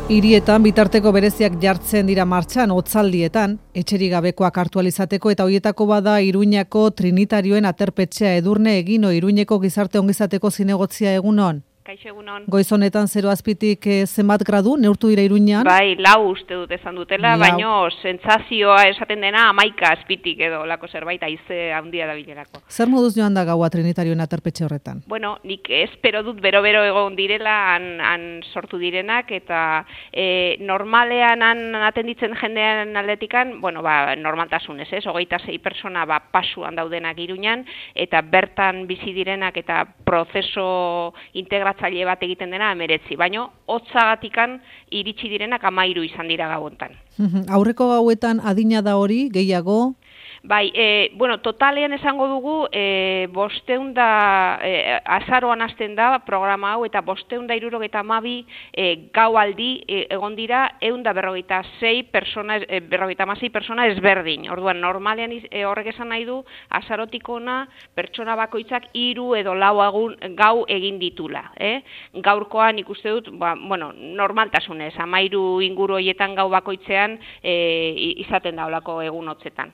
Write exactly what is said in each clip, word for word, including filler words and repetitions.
Hirietan bitarteko bereziak jartzen dira martxan hotzaldietan, etxerik gabekoak hartu ahal izateko eta hoietako bada Iruñako Trinitarioen aterpetxea. Edurne Egino, Iruñeko gizarte ongizateko zinegotzia, egunon. Kaixo, egunon. Goiz honetan zero azpitik eh, zenbat gradu neurtu dira Iruñan? Bai, lau uste dut esan dutela, lau. Baino sentsazioa esaten dena hamaika azpitik edo lako zerbait haize handia da bilerako. Zer moduz joan da gaua Trinitarioen aterpetxe horretan? Bueno, nik espero dut bero-bero egon direla han, han sortu direnak eta e, normalean han atenditzen jendean aldetikan, bueno, ba, normaltasunez, ez, hogeita sei persona ba, pasuan daudenak Iruñan eta bertan bizi direnak eta prozeso integratzaile bat egiten dena emeretzi, baino hotzagatikan iritsi direnak hamairu izan dira gauontan. Aurreko gauetan adina da hori, gehiago? Bai, e, bueno, totalean esango dugu, e, bosteun da, e, azaroan hasten da programa hau, eta bosteun da hirurogeita hamabi e, gau aldi e, egon dira, eun da berrogeita sei persona, e, berrogeita hamasei persona ezberdin. Orduan, normalean e, horrek esan nahi du, azarotik ona pertsona bakoitzak hiru edo lau agun, gau egin ditula. Eh? Gaurkoan ikuste dut, ba, bueno, normaltasunez, hamairu inguru horietan gau bakoitzean e, izaten da olako egun hotzetan.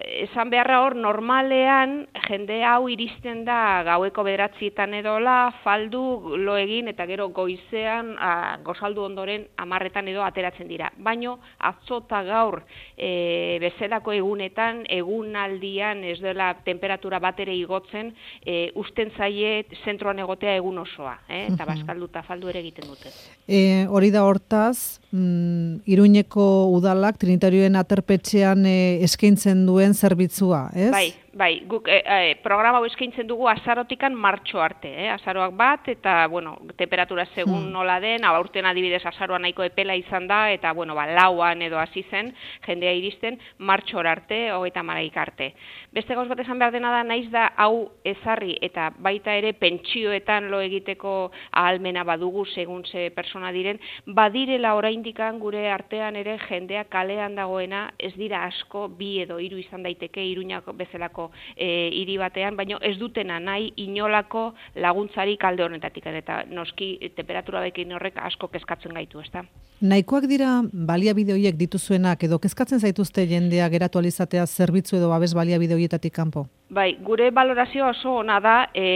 Esan beharra hor, normalean jende hau iristen da gaueko bederatzietan edola, faldu, lo egin eta gero goizean, a, gozaldu ondoren hamarretan edo ateratzen dira. Baino, atzota gaur e, bezalako egunetan, egunaldian ez dela temperatura batere igotzen, e, usten zaie zentroan egotea egun osoa, eh? Eta bazkaldu eta faldu ere egiten dute. E, hori da hortaz, mm, Iruñeko udalak Trinitarioen aterpetxean e, eskaintzen duen zerbitzua, ez? Bai, bai, guk e, e, programa hau eskaintzen dugu azarotikan martxo arte, eh? Azaroak bat, eta, bueno, temperatura segun hmm. nola den, aurten adibidez azaroa nahiko epela izan da, eta, bueno, ba, lauan edo hasi zen, jendea iristen, martxor arte, hogeita hamaika arte. Beste gauz bat esan behar dena da, naiz da, hau ezarri, eta baita ere pentsioetan lo egiteko ahalmena badugu, segun ze persona diren, badirela oraindikan gure artean ere jendea kalean dagoena, ez dira asko, bi edo hiru izan daiteke Iruñako bezalako e, hiri batean, baina ez dutena nahi inolako laguntzarik alde honetatik, eta noski temperatura bekin horrek asko kezkatzen gaitu, ezta? Nahikoak dira baliabide horiek dituzuenak edo kezkatzen zaituzte jendea geratu alizatea zerbitzu edo babes baliabide horietatik kanpo? Bai, gure balorazioa oso ona da e,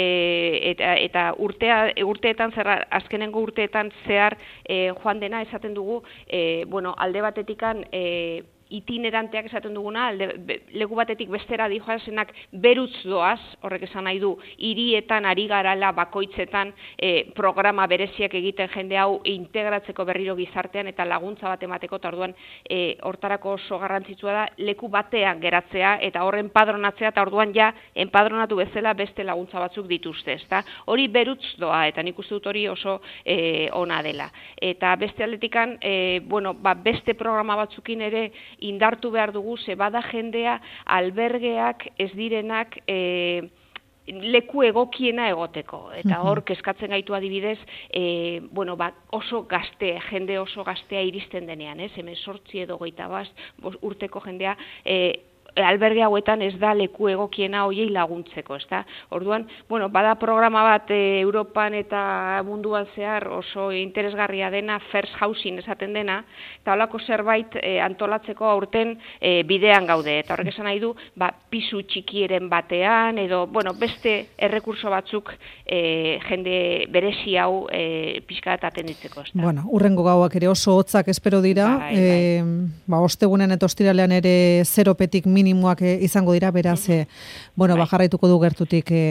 eta, eta urtea, urteetan zerra, azkenengo urteetan zehar e, joan dena esaten dugu, e, bueno, alde batetikan e, itineranteak esaten duguna, alde, be, leku batetik bestera dijoazenak berutz doaz, horrek esan nahi du, hirietan ari garala bakoitzetan e, programa bereziak egiten jende hau integratzeko berriro gizartean eta laguntza bat emateko, eta orduan e, hortarako oso garrantzitsua da leku batean geratzea eta horren padronatzea, eta orduan ja enpadronatu bezala beste laguntza batzuk dituzte, ezta? Hori berutz doa, eta nik uste dut hori oso e, ona dela. Eta beste aldetikan, e, bueno, ba, beste programa batzukin ere indartu behar dugu, ze bada jendea albergeak ez direnak e, leku egokiena egoteko. Eta hor, kezkatzen gaitu adibidez, e, bueno, ba, oso gazte, jende oso gaztea iristen denean, ez? Hemen sortzi edo goita bast, urteko jendea, e, alberge hauetan ez da leku egokiena hoiei laguntzeko, ezta? Orduan, bueno, bada programa bat e, Europan eta munduan zehar oso interesgarria dena, first housing esaten dena, eta holako zerbait e, antolatzeko aurten e, bidean gaude, eta horrek esan nahi du, ba, pisu txikieren batean, edo, bueno, beste errekurso batzuk e, jende berezi hau e, pixka bat atenditzeko, ezta? Bueno, urrengo gauak ere oso hotzak espero dira, bai, bai. E, ba, ostegunen eta ostiralean ere zeropetik minimoak izango dira, beraz, e, bueno, bai. bajarraituko du gertutik e,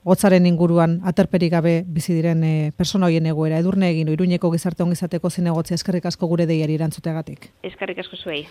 hotzaren inguruan aterperik gabe bizi diren e, persona hoien egoera. Edurne Egino, Iruñeko gizarte ongizateko zinegotzia, eskerrik asko gure deiari erantzuteagatik. Eskerrik asko zuei.